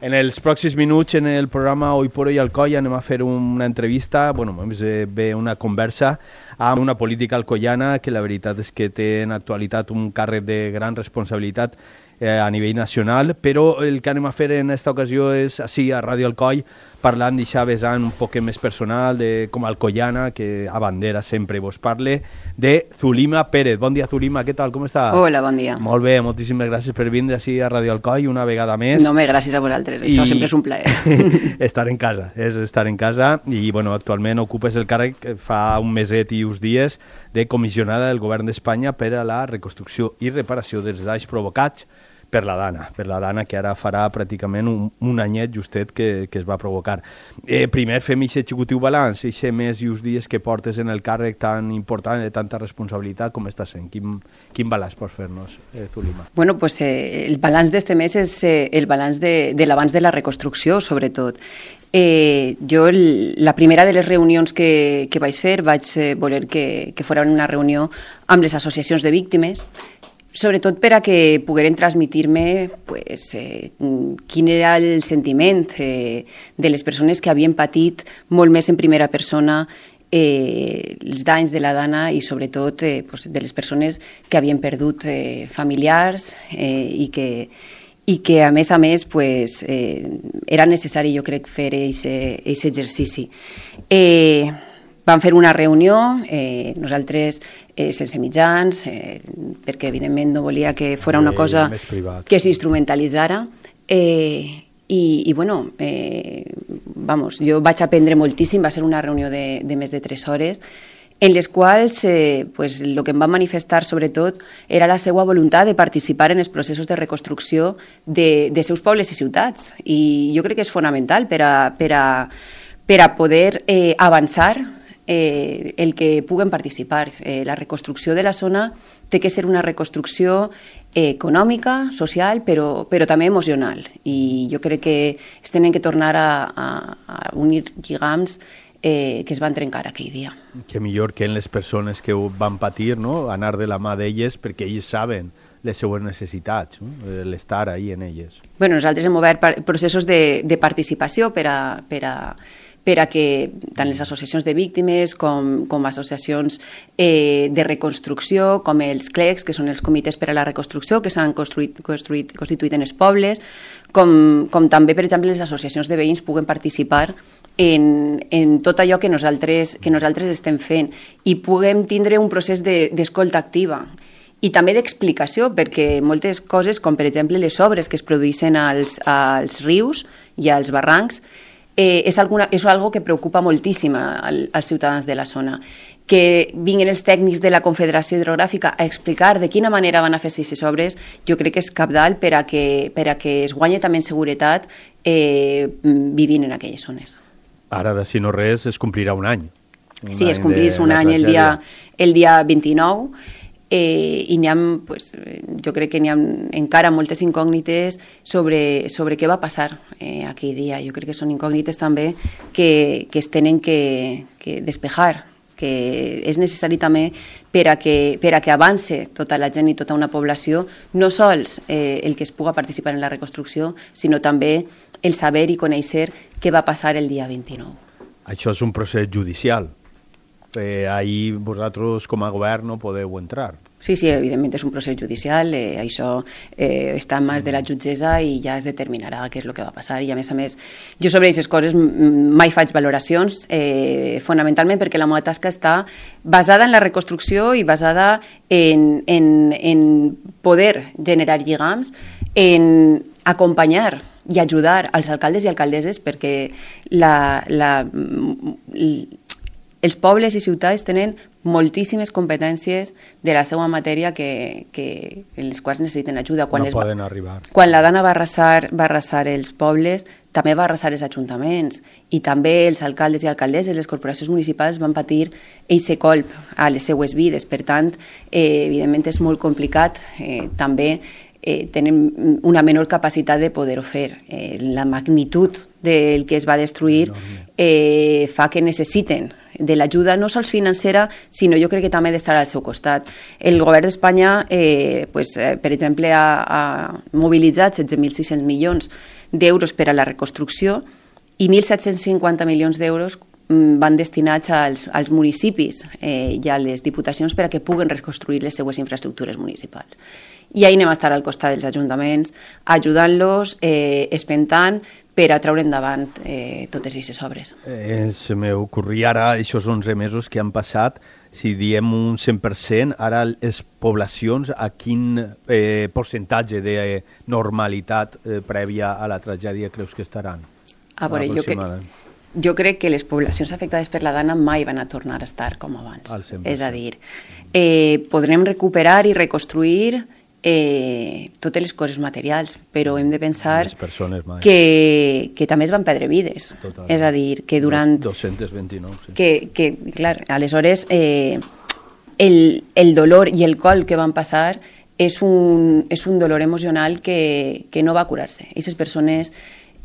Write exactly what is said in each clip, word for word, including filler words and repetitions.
En els pròxims minuts, en el programa Hoy por Hoy Alcoi, anem a fer una entrevista, bueno, més bé una conversa amb una política alcoiana que la veritat és que té en actualitat un càrrec de gran responsabilitat eh, a nivell nacional, però el que anem a fer en aquesta ocasió és, així, a Ràdio Alcoi, parlant d'això vessant un poc més personal, de, com a alcoiana, que a bandera sempre vos parle, de Zulima Pérez. Bon dia, Zulima, què tal, com està? Hola, bon dia. Molt bé, moltíssimes gràcies per vindre així a Ràdio Alcoi una vegada més. No, me gràcies a vosaltres, I... això sempre és un plaer. Estar en casa, és estar en casa, i bueno, actualment ocupes el càrrec fa un meset i uns dies de comissionada del govern d'Espanya per a la reconstrucció i reparació dels danys provocats per la Dana, per la Dana que ara farà pràcticament un, un anyet justet que, que es va provocar. Eh, primer fem aquest executiu balanç, aquest mes i uns dies que portes en el càrrec tan important, de tanta responsabilitat, com està sent? Quin, quin balanç pots fer-nos, eh, Zulima? Bueno, pues eh, el balanç d'este mes és eh, el balanç de, de l'abans de la reconstrucció, sobretot. Eh, jo, el, la primera de les reunions que, que vaig fer, vaig eh, voler que, que fos una reunió amb les associacions de víctimes, sobretot per a que pogueren transmitir-me pues, eh, quin era el sentiment eh, de les persones que havien patit molt més en primera persona eh, els danys de la Dana i sobretot eh, pues, de les persones que havien perdut eh, familiars eh, i que i que a més a més pues, eh, era necessari, jo crec, fer aquest exercici. Eh, Vam fer una reunió, eh, nosaltres eh, sense mitjans, eh, perquè evidentment no volia que fos una cosa que s'instrumentalitzara. Eh, i, I bueno, eh, vamos, jo vaig aprendre moltíssim, va ser una reunió de, de més de tres hores, en les quals eh, pues, el que em va manifestar sobretot era la seva voluntat de participar en els processos de reconstrucció de, de seus pobles i ciutats. I jo crec que és fonamental per a, per a, per a poder eh, avançar Eh, el que puguen participar. Eh, la reconstrucció de la zona té que ser una reconstrucció eh, econòmica, social, però, però també emocional. I jo crec que es tenen que tornar a, a, a unir lligams eh, que es van trencar aquell dia. Que millor que en les persones que ho van patir, no? Anar de la mà d'elles, perquè ells saben les seues necessitats, no? L'estar ahí en elles. Bueno, nosaltres hem obert processos de, de participació per a, per a per a que tant les associacions de víctimes com, com associacions eh, de reconstrucció, com els C L E Cs, que són els comitès per a la reconstrucció, que s'han construït, construït, constituït en els pobles, com, com també, per exemple, les associacions de veïns puguen participar en, en tot allò que nosaltres, que nosaltres estem fent i puguem tindre un procés d'escolta de, activa i també d'explicació, perquè moltes coses, com per exemple les obres que es produeixen als, als rius i als barrancs, Eh, és, alguna, és algo que preocupa moltíssim al, als ciutadans de la zona. Que vinguin els tècnics de la Confederació Hidrogràfica a explicar de quina manera van a fer aquestes obres, jo crec que és cabdal per a que, per a que es guanyi també en seguretat eh, vivint en aquelles zones. Ara, de si no res, es complirà un any. Un sí, any es complís un any el dia, el dia vint-i-nou. Eh, i n'hi ha, pues, jo crec que n'hi ha encara moltes incògnites sobre, sobre què va passar eh, aquell dia. Jo crec que són incògnites també que, que es tenen que, que despejar, que és necessari també per a que, per a que avance tota la gent i tota una població, no sols eh, el que es puga participar en la reconstrucció, sinó també el saber i conèixer què va passar el dia vint-i-nou. Això és un procés judicial. Eh, ahí vosaltres com a govern no podeu entrar. Sí, sí, evidentment és un procés judicial, eh, això eh, està en mans de la jutgessa i ja es determinarà què és el que va passar i a més a més jo sobre aquestes coses mai faig valoracions, eh, fonamentalment perquè la meva tasca està basada en la reconstrucció i basada en, en, en poder generar lligams, en acompanyar i ajudar als alcaldes i alcaldesses perquè la, la, els pobles i ciutats tenen moltíssimes competències de la seva matèria que, que, en les quals necessiten ajuda. Quan no les, poden arribar. Quan la Dana va arrasar, va arrasar els pobles, també va arrasar els ajuntaments i també els alcaldes i alcaldesses, les corporacions municipals van patir eixe colp a les seues vides. Per tant, eh, evidentment és molt complicat. Eh, també eh, tenen una menor capacitat de poder-ho fer. Eh, la magnitud del que es va destruir eh, fa que necessiten de l'ajuda no sols financera, sinó jo crec que també d'estar al seu costat. El govern d'Espanya, eh, pues, eh, per exemple, ha, ha mobilitzat setze mil sis-cents milions d'euros per a la reconstrucció i mil set-cents cinquanta milions d'euros van destinats als, als municipis eh, i a les diputacions per a que puguen reconstruir les seues infraestructures municipals. I ahí anem a estar al costat dels ajuntaments, ajudant-los, eh, espentant, per a treure endavant eh, totes aquestes obres. Eh, se m'ocorria ara, aquests onze mesos que han passat, si diem un cent per cent, ara les poblacions a quin eh, percentatge de normalitat eh, prèvia a la tragèdia creus que estaran? A veure, jo crec... Jo crec que les poblacions afectades per la Dana mai van a tornar a estar com abans. És a dir, eh, podrem recuperar i reconstruir eh, totes les coses materials, però hem de pensar que, que també es van perdre vides. Totalment. És a dir, que durant... dos-cents vint-i-nou, sí. Que, que clar, aleshores, eh, el, el dolor i el col que van passar és un, és un dolor emocional que, que no va curar-se. Aquestes persones...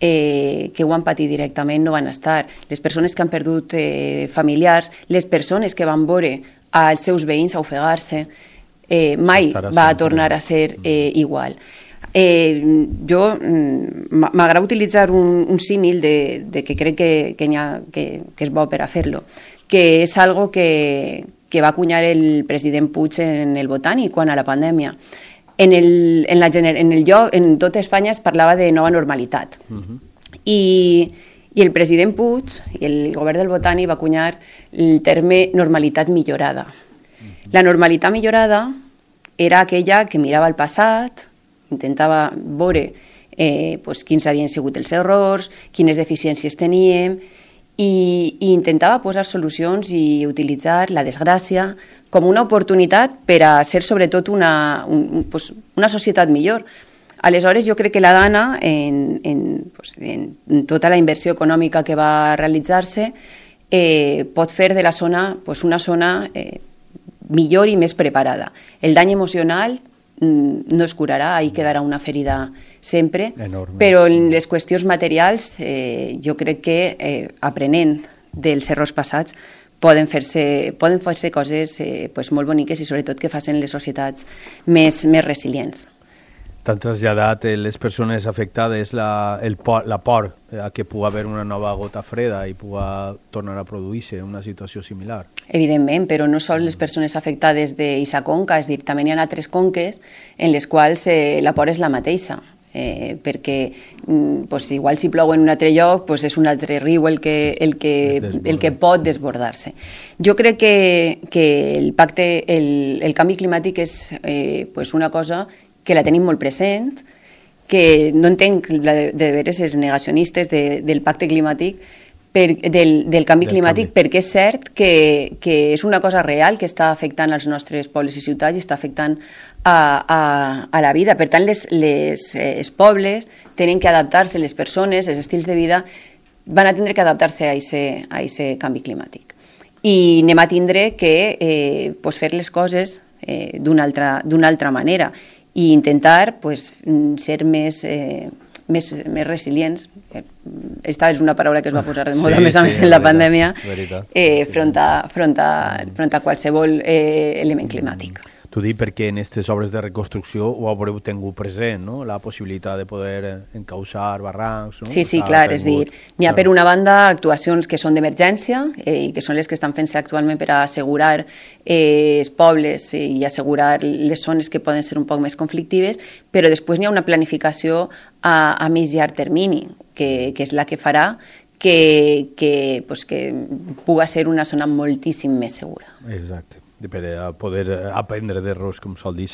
Eh, que ho han patit directament no van estar. Les persones que han perdut eh, familiars, les persones que van veure als seus veïns a ofegar-se, eh, mai va a tornar a ser eh, igual. Eh, jo m'agrada utilitzar un, un símil de, de que crec que, que, ha, que, que és bo per a fer-lo, que és algo que, que va acunyar el president Puig en el Botànic quan a la pandèmia. En el, en, la, en el lloc, en tota Espanya es parlava de nova normalitat. Uh-huh. I, I el president Puig i el govern del Botànic va acunyar el terme normalitat millorada. Uh-huh. La normalitat millorada era aquella que mirava el passat, intentava veure eh, pues, quins havien sigut els errors, quines deficiències teníem, i, i intentava posar solucions i utilitzar la desgràcia com una oportunitat per a ser sobretot una, un, pues, una societat millor. Aleshores, jo crec que la Dana, en, en, pues, en tota la inversió econòmica que va realitzar-se, eh, pot fer de la zona pues, una zona eh, millor i més preparada. El dany emocional mm, no es curarà, ahí quedarà una ferida sempre, enorme. Però en les qüestions materials eh, jo crec que eh, aprenent dels errors passats poden fer-se poden fer-se coses eh, pues, molt boniques i sobretot que facin les societats més, més resilients. T'han traslladat eh, les persones afectades la, el por, la por a que pugui haver una nova gota freda i pugui tornar a produir-se una situació similar? Evidentment, però no sols les persones afectades d'eixa conca, és a dir, també hi ha altres conques en les quals eh, la por és la mateixa. Eh, perquè pues, igual si plou en un altre lloc pues, és un altre riu el que, el que, el que pot desbordar-se. Jo crec que, que el pacte, el, el canvi climàtic és eh, pues una cosa que la tenim molt present, que no entenc de, de veres els negacionistes de, del pacte climàtic, per, del, del canvi del climàtic, canvi. Perquè és cert que, que és una cosa real que està afectant als nostres pobles i ciutats i està afectant a, a, a la vida. Per tant, les, les, eh, els pobles tenen que adaptar-se, les persones, els estils de vida, van a tindre que adaptar-se a aquest canvi climàtic. I anem a tindre que eh, pues fer les coses eh, d'una altra, d'una altra manera i intentar pues, ser més... Eh, Més, més resilients. Esta és una paraula que es va posar de moda, sí, més a més sí, en la veritat, pandèmia, eh, front, a, front, a, front a qualsevol eh, element climàtic. T'ho dic perquè en aquestes obres de reconstrucció ho haureu tingut present, no? La possibilitat de poder encausar barrancs. No? Sí, sí, clar, és dir, n'hi ha per una banda actuacions que són d'emergència eh, i que són les que estan fent-se actualment per a assegurar eh, els pobles i assegurar les zones que poden ser un poc més conflictives, però després n'hi ha una planificació a, a més llarg termini, que, que és la que farà que, que, pues, que pugui ser una zona moltíssim més segura. Exacte. Per a poder aprendre d'errors, com sol dir,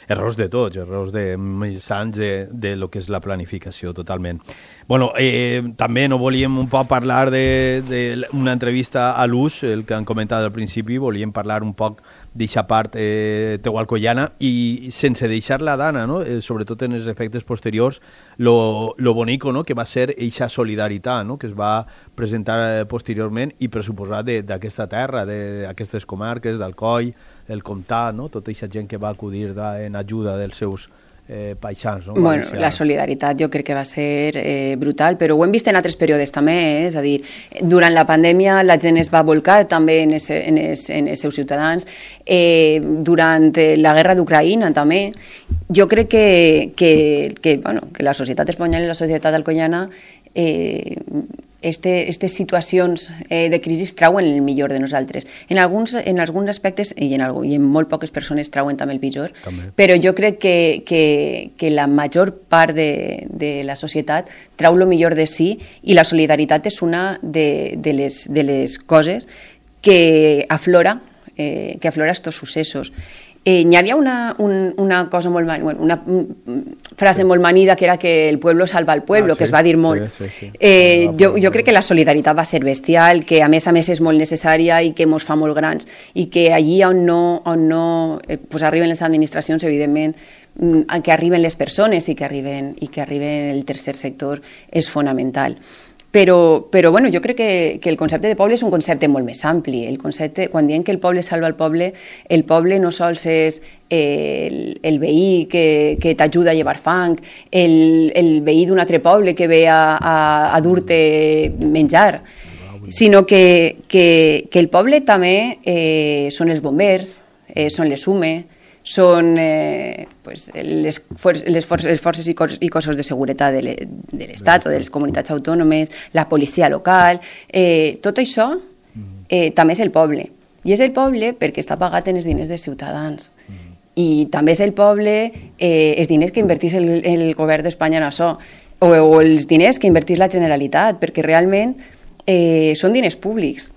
errors de tots, errors de més anys de, de lo que és la planificació, totalment. Bueno, eh, també no volíem un poc parlar d'una entrevista a l'U S, el que han comentat al principi, volíem parlar un poc d'aquesta part eh, tehualcoiana i sense deixar la Dana, no? eh, sobretot en els efectes posteriors, lo, lo bonico, no? Que va ser aquesta solidaritat, no? Que es va presentar eh, posteriorment i pressuposar d'aquesta terra, d'aquestes comarques, d'Alcoi, el comtat, no? Tota aquesta gent que va acudir da, en ajuda dels seus eh, paisans. No? Bueno, la solidaritat jo crec que va ser eh, brutal, però ho hem vist en altres períodes també, eh? És a dir, durant la pandèmia la gent es va volcar també en, ese, en, es, en els seus ciutadans, eh, durant la guerra d'Ucraïna també. Jo crec que, que, que, bueno, que la societat espanyola i la societat alcoiana eh, Este, aquestes situacions eh, de crisi trauen el millor de nosaltres. En alguns, en alguns aspectes, i en, algú, i en molt poques persones trauen també el pitjor, també. Però jo crec que, que, que la major part de, de la societat trau el millor de si, i la solidaritat és una de, de, les, de les coses que aflora, eh, que aflora estos successos. Eh, hi havia una, un, una cosa molt bueno, una frase molt manida que era que el pueblo salva al pueblo, ah, sí, que es va dir molt. Sí, sí, sí. Eh, jo, jo crec que la solidaritat va ser bestial, que a més a més és molt necessària i que ens fa molt grans, i que allí on no, on no eh, pues arriben les administracions, evidentment, que arriben les persones i que arriben, i que arriben el tercer sector és fonamental. Però, però bueno, jo crec que, que el concepte de poble és un concepte molt més ampli. El concepte, quan diem que el poble salva el poble, el poble no sols és eh, el, el veí que, que t'ajuda a llevar fang, el, el veí d'un altre poble que ve a, a, a dur-te menjar, sinó que, que, que el poble també eh, són els bombers, eh, són les U M E, són eh, pues, les, for les, for les forces i, cos i cossos de seguretat de l'Estat o de les comunitats autònomes, la policia local, eh, tot això eh, també és el poble. I és el poble perquè està pagat en els diners dels ciutadans. I també és el poble eh, els diners que invertís el, el govern d'Espanya en això, o, o els diners que invertís la Generalitat, perquè realment eh, són diners públics.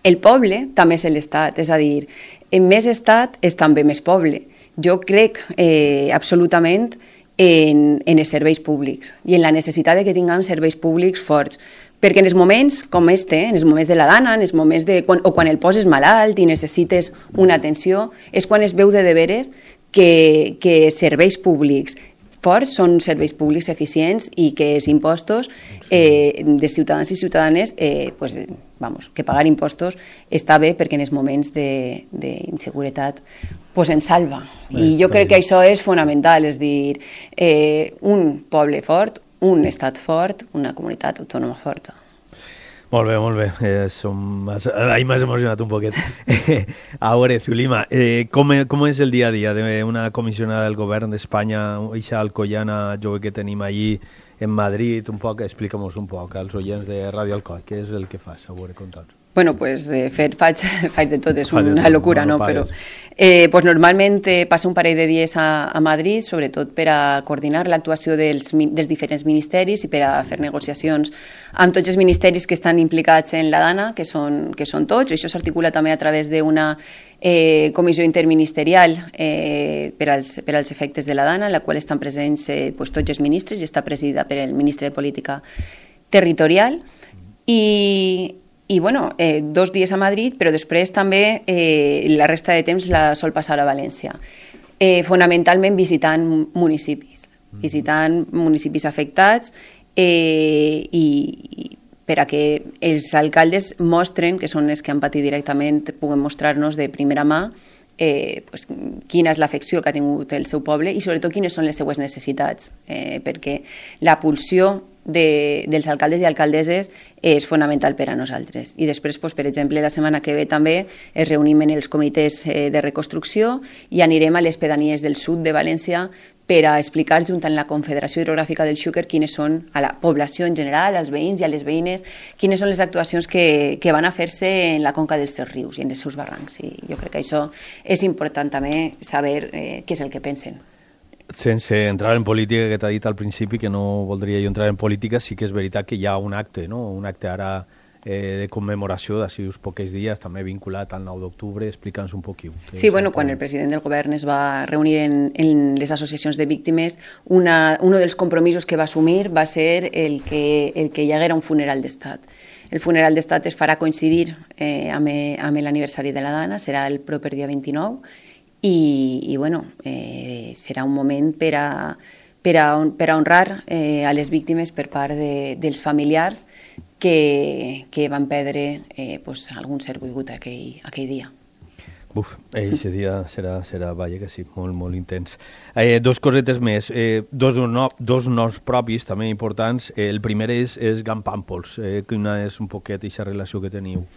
El poble també és l'Estat, és a dir, en més estat és també més poble. Jo crec eh, absolutament en, en els serveis públics i en la necessitat de que tinguem serveis públics forts, perquè en els moments com este, en els moments de la dana, en els moments de, quan, o quan el poses malalt i necessites una atenció, és quan es veu de deberes que, que serveis públics forts són serveis públics eficients i que els impostos eh, de ciutadans i ciutadanes, eh, pues, vamos, que pagar impostos està bé perquè en els moments d'inseguretat pues, ens salva. I jo crec que això és fonamental, és dir, eh, un poble fort, un estat fort, una comunitat autònoma forta. Molt bé, molt bé. Eh, som... Ahí m'has emocionat un poquet. A veure, Zulima, eh, com, com és el dia a dia d'una comissionada del govern d'Espanya, eixa alcoiana jove que tenim allí en Madrid, un poc, explica'm-nos un poc als oients de Ràdio Alcoi, què és el que fas? A veure, conta'ns. Bueno, pues eh, fer, faig, faig de tot, és una locura, no? Però eh, pues normalment eh, passo un parell de dies a, a Madrid, sobretot per a coordinar l'actuació dels, dels diferents ministeris i per a fer negociacions amb tots els ministeris que estan implicats en la dana, que són, que són tots. Això s'articula també a través d'una eh, comissió interministerial eh, per, als, per als efectes de la dana, en la qual estan presents eh, pues, tots els ministres i està presidida per el ministre de Política Territorial. I... I, bueno, eh, dos dies a Madrid, però després també eh, la resta de temps la sol passar a València. Eh, fonamentalment visitant municipis, visitant municipis afectats eh, i, i per a que els alcaldes mostren, que són els que han patit directament, puguen mostrar-nos de primera mà eh, pues, quina és l'afecció que ha tingut el seu poble i sobretot quines són les seues necessitats, eh, perquè la pulsió De, dels alcaldes i alcaldesses és fonamental per a nosaltres. I després, doncs, per exemple, la setmana que ve també es reunim en els comitès eh, de reconstrucció i anirem a les pedanies del sud de València per a explicar, junt amb la Confederació Hidrogràfica del Xúquer, quines són a la població en general, als veïns i a les veïnes, quines són les actuacions que, que van a fer-se en la conca dels seus rius i en els seus barrancs. I jo crec que això és important també saber eh, què és el que pensen. Sense entrar en política, que t'ha dit al principi que no voldria jo entrar en política, sí que és veritat que hi ha un acte, no? Un acte ara eh, de commemoració d'ací uns pocs dies, també vinculat al nou d'octubre. Explica'ns un poc. Sí, bueno, quan el president del govern es va reunir en, en les associacions de víctimes, una, un dels compromisos que va assumir va ser el que, el que hi haguera un funeral d'estat. El funeral d'estat es farà coincidir eh, amb, amb l'aniversari de la dana, serà el proper dia vint-i-nou, I, i bueno, eh, serà un moment per a, per a, per a honrar eh, a les víctimes per part de, dels familiars que, que van perdre eh, pues, algun ser volgut aquell, aquell dia. Uf, aquest dia serà, serà, vaja que sí, molt, molt intens. Eh, dos cosetes més, eh, dos, no, dos noms propis també importants. Eh, el primer és, és Gan Pàmpols, eh, quina és un poquet aquesta relació que teniu?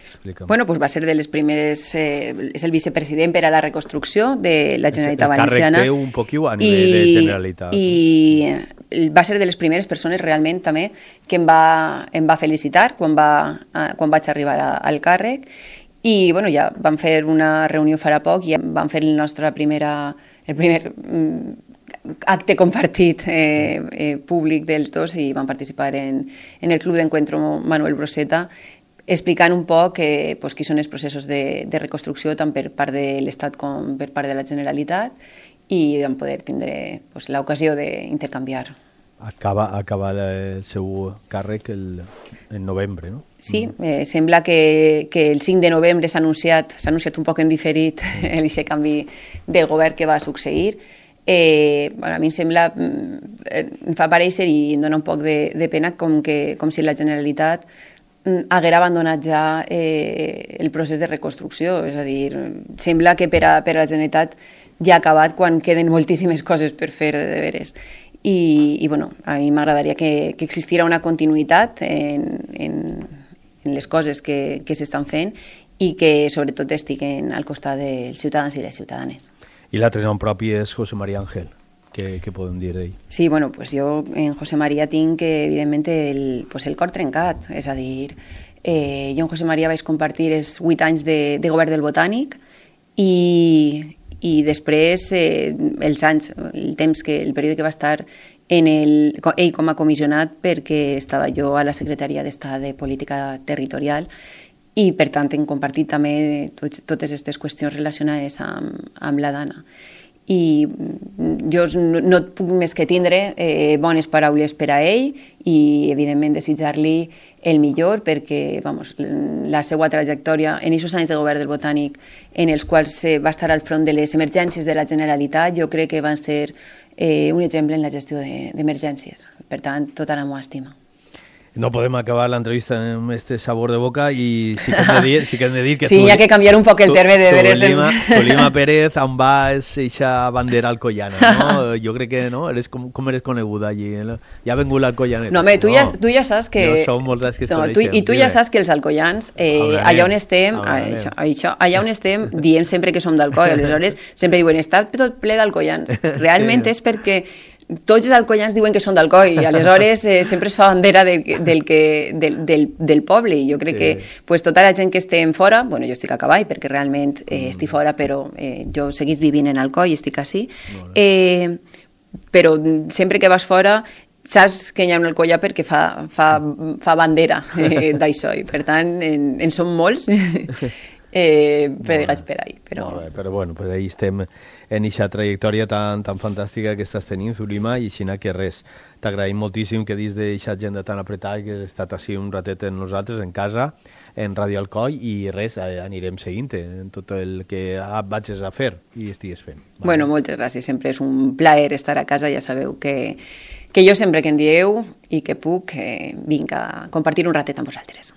Explica'm. Bueno, pues va ser de les primeres, eh, és el vicepresident per a la reconstrucció de la Generalitat Valenciana. El càrrec té un poquiu a nivell de Generalitat. I va ser de les primeres persones realment també que em va, em va felicitar quan, va, quan vaig arribar a, al càrrec. I bueno, ja vam fer una reunió farà poc i ja vam fer el nostre primera, el primer mm, acte compartit eh, eh, públic dels dos i vam participar en, en el Club d'Encuentro Manuel Broseta explicant un poc eh, pues, quins són els processos de, de reconstrucció tant per part de l'Estat com per part de la Generalitat i vam poder tindre pues, l'ocasió d'intercanviar. Acaba, acaba el seu càrrec el, en novembre, no? Sí, eh, sembla que, que el cinc de novembre s'ha anunciat, s'ha anunciat un poc en diferit aquest canvi del govern que va succeir. Eh, bueno, a mi em sembla, em fa parèixer i em dona un poc de, de pena com, que, com si la Generalitat haguera abandonat ja eh, el procés de reconstrucció. És a dir, sembla que per a, per a la Generalitat ja ha acabat quan queden moltíssimes coses per fer de deberes. I, i bueno, a mi m'agradaria que, que existira una continuïtat en, en, en les coses que, que s'estan fent i que sobretot estiguen al costat dels ciutadans i les ciutadanes. I l'altre nom propi és José María Ángel. Què, què podem dir d'ell? Sí, bueno, pues jo en José María tinc evidentment el, pues el cor trencat, és a dir, eh, jo en José María vaig compartir els vuit anys de, de govern del Botànic i i després eh, els anys, el temps que, el període que va estar en el, ell com a comissionat perquè estava jo a la Secretaria d'Estat de Política Territorial i per tant hem compartit també tot, totes aquestes qüestions relacionades amb, amb la Dana. I jo no, no et puc més que tindre eh, bones paraules per a ell i evidentment desitjar-li el millor perquè vamos, la seva trajectòria en aquests anys de govern del Botànic en els quals eh, va estar al front de les emergències de la Generalitat jo crec que van ser eh, un exemple en la gestió d'emergències. Per tant, tota la meva estima. No podem acabar l'entrevista amb este sabor de boca i sí que hem de dir, sí que, hem de dir que sí, hi ha que canviar un poc el terme de veres. Tolima Pérez, on va és eixa bandera alcoyana, no? Jo crec que, no? Eres com, com eres coneguda allí? Ja ha vengut l'alcoyanet. No, home, tu, no. Ja, tu ja saps que... No som molts dels que es no, coneixem. Tu, I tu ja saps que els alcoians, eh, allà on estem, això, això, allà on estem, diem sempre que som d'alcoy, aleshores sempre diuen, està tot ple d'alcoians. Realment sí. És perquè tots els alcoians diuen que són d'Alcoi i aleshores eh, sempre es fa bandera del, del, que, del, del, del poble i jo crec sí. que pues, tota la gent que estem fora, bueno, jo estic a cavall perquè realment eh, estic fora però eh, jo seguís vivint en Alcoi, estic així eh, però sempre que vas fora saps que hi ha un alcoià perquè fa, fa, fa bandera eh, d'això i per tant en, en som molts eh, predicats per ahí però... Bé, però bueno, pues ahí estem en aquesta trajectòria tan, tan fantàstica que estàs tenint, Zulima, i així que res, t'agraïm moltíssim que dins d'aquesta agenda tan apretada que has estat així un ratet en nosaltres, en casa, en Ràdio Alcoi, i res, anirem seguint-te en tot el que vagis a fer i estigues fent. Vale? Bueno, moltes gràcies, sempre és un plaer estar a casa, ja sabeu que, que jo sempre que em dieu i que puc, eh, vinc a compartir un ratet amb vosaltres.